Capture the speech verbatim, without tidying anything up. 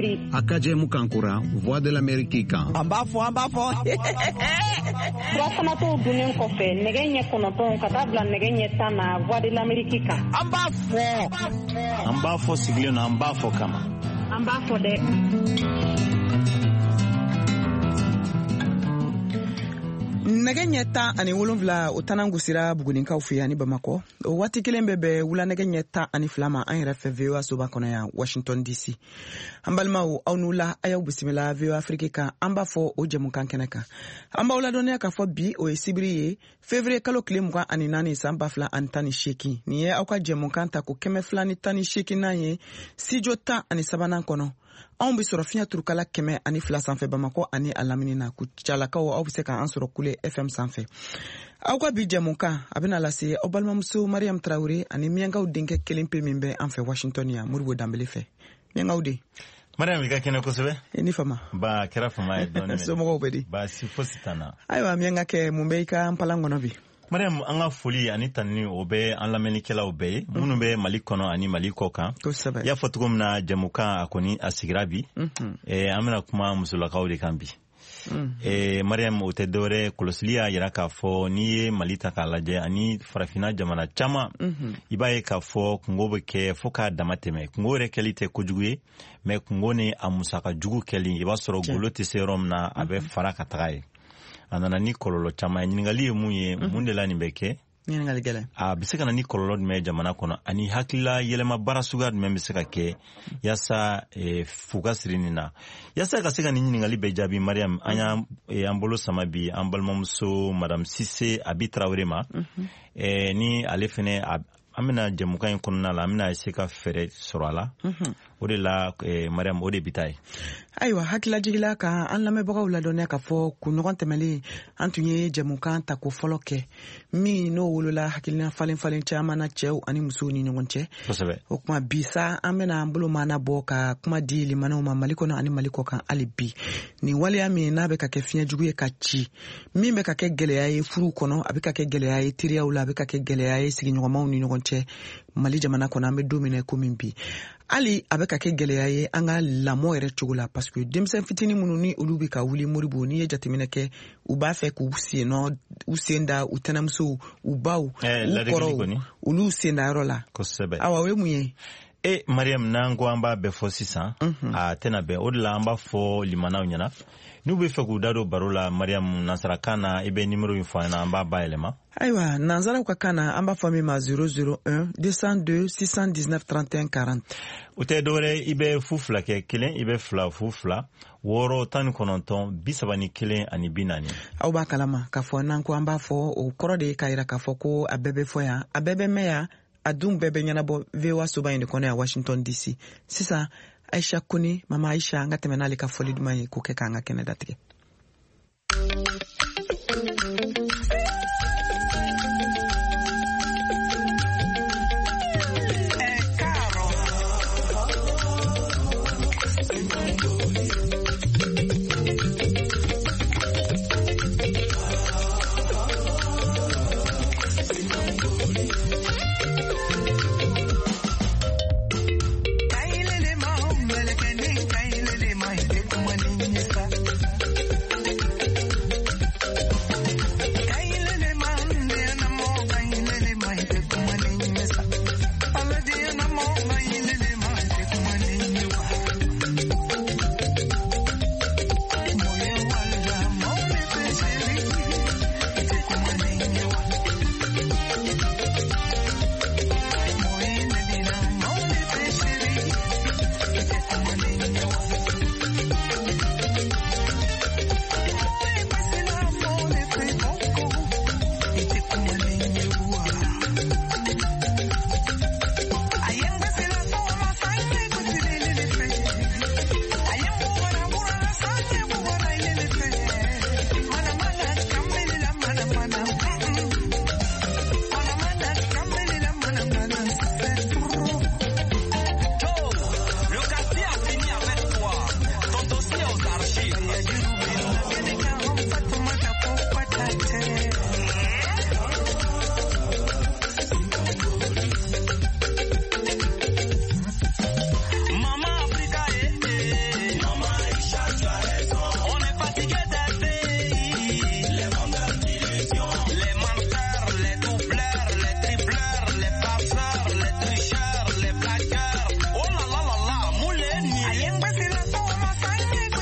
sibiri. A ka jɛmukan kura Voix de l'Amérique kan. An b'a fɔ, an b'a fɔ. Furafanatɔw dunnen kɔfɛ nɛgɛ ɲɛ kɔnɔntɔn ka taa bila nɛgɛ ɲɛ tan na Voix de l'Amérique kan. An b'a fɔ. An b'a fɔ sigilen na, an b'a fɔ kama. An b'a fɔ dɛ. Nɛgɛ ɲɛ tan ani wolonfila o tanan gosira Buguninkaw fɛ yan ni Bamakɔ. O waati kelen bɛ bɛn wula nɛgɛ ɲɛ tan ani fila ma an yɛrɛ fɛ V O A soba kɔnɔ yan Washington D C. An balimaw, aw n'u la, a y'aw bisimila V O A Afrique kan. An b'a fɔ o jɛmukan kɛnɛ kan. An b'aw ladɔnniya k'a fɔ bi o ye sibiri ye février kalo tile mugan ani naani san ba fila ani tan ni seegin. Nin ye aw ka jɛmukan ta ko kɛmɛ fila ni tan ni seeginnan ye studio tan ani sabanan kɔnɔ. Anw bɛ sɔrɔ fiɲɛ turukala kɛmɛ ani fila sanfɛ Bamakɔ ani a lamini na. Kucalakaw, aw bɛ se k'an sɔrɔ Kule F M sanfɛ. Aw ka bi jɛmukan a bɛna lase aw balimamuso Mariam Traoré ani Miyankaw denkɛ kelen pe min bɛ an fɛ Washington yan, Modibo Danbele fɛ. Miyankaw den. Mariam, i ka kɛnɛ kosɛbɛ. I ni fama. Ba, kɛra fama ye dɔɔnin. Somɔgɔw bɛ di? Baasi fosi t'an na. Ayiwa Miyankakɛ, mun bɛ i ka npalan kɔnɔ bi? Mariam, an ka foli ani tanuni o bɛ an lamɛnnikɛlaw bɛɛ ye minnu bɛ Mali kɔnɔ ani Mali kɔ kan. Kosɛbɛ. I y'a fɔ cogo min na, jɛmukan a kɔni a sigira bi. An bɛna kuma musolakaw de kan bi. Mariam, o tɛ dɔwɛrɛ, kɔlɔsili y'a yira k'a fɔ n'i ye Mali ta k'a lajɛ ani farafinna jamana caman, i b'a ye k'a fɔ kungo bɛ kɛ fo k'a dama tɛmɛ. Kungo yɛrɛ kɛli tɛ kojugu ye, mais kungo ni a musaka jugu kɛli, i b'a sɔrɔ golo tɛ se yɔrɔ min na, a bɛ fara ka taga ye. A nana ni kɔlɔlɔ caman ye. Ɲininkali ye mun ye, mun de la nin bɛ kɛ? Ɲininkali gɛlɛn. A bɛ se ka na ni kɔlɔlɔ jumɛn ye jamana kɔnɔ, ani hakilila yɛlɛma baara suguya jumɛn bɛ se ka kɛ yaasa fu ka siri nin na? Yaasa ka se ka nin ɲininkali bɛɛ jaabi, Mariam, an y'an an bolo sama bi an balimamuso Madame Sise Abi Traoré ma. Ni ale fɛnɛ, an bɛna jɛmukan in kɔnɔna la, an bɛna se ka fɛɛrɛ sɔrɔ a la. O de la, Mariam, o de bi taa ye. Ayiwa, hakililajigila ka an lamɛnbagaw ladɔnniya k'a fɔ kunɲɔgɔn tɛmɛlen an tun ye jɛmukan tako fɔlɔ kɛ min n'o wolola hakilina falen falen caman na cɛw ani musow ni ɲɔgɔn cɛ. Kosɛbɛ. O kuma bi sa, an bɛna an bolo maana bɔ ka kuma di limanaw ma Mali kɔnɔ ani Mali kɔ kan hali bi. Nin waleya min n'a bɛ ka kɛ fiɲɛ jugu ye ka ci, min bɛ ka kɛ gɛlɛya ye furuw kɔnɔ, a bɛ ka kɛ gɛlɛya ye teriyaw la, a bɛ ka kɛ gɛlɛya ye sigiɲɔgɔnmaw ni ɲɔgɔn cɛ Mali jamana kɔnɔ, an bɛ don min na komi bi. Hali a bɛ ka kɛ gɛlɛya ye an ka lamɔ yɛrɛ cogo la, parce que denmisɛn fitinin minnu ni olu bɛ ka wuli Modibo, n'i ye jateminɛ kɛ, u b'a fɛ k'u sen nɔ, u sen da u tɛnɛmusow, u baw, u kɔrɔw, olu sen da yɔrɔ la. Kosɛbɛ. Awa, o ye mun ye? E Mariam, n'an ko an b'a bɛɛ fɔ sisan, a tɛna bɛn. O de la an b'a fɔ limanaw ɲɛna, n'u bɛ fɛ k'u da don baro la, Mariam, nansarakan na, i bɛ nimero in fɔ an ɲɛna, an b'a bayɛlɛma. Ayiwa, nansaraw ka kan na, an b'a fɔ min ma zéro zéro un deux cent deux six cent dix-neuf trente et un quarante. O tɛ dɔwɛrɛ, i bɛ fu fila kɛ kelen, i bɛ fila fu fila wɔɔrɔ tan ni kɔnɔntɔn bi saba ni kelen ani bi naani. Aw b'a kalama k'a fɔ n'an ko an b'a fɔ, o kɔrɔ de ye k'a yira k'a fɔ ko a bɛɛ bɛ fɔ yan, a bɛɛ bɛ mɛn yan, a dun bɛɛ bɛ ɲɛnabɔ V O A soba in de kɔnɔ yan Washington D C. Sisan Aisha Kone, mama Aisha, an ka tɛmɛ n'ale ka fɔli duman ye k'o kɛ k'an ka kɛnɛ datigɛ.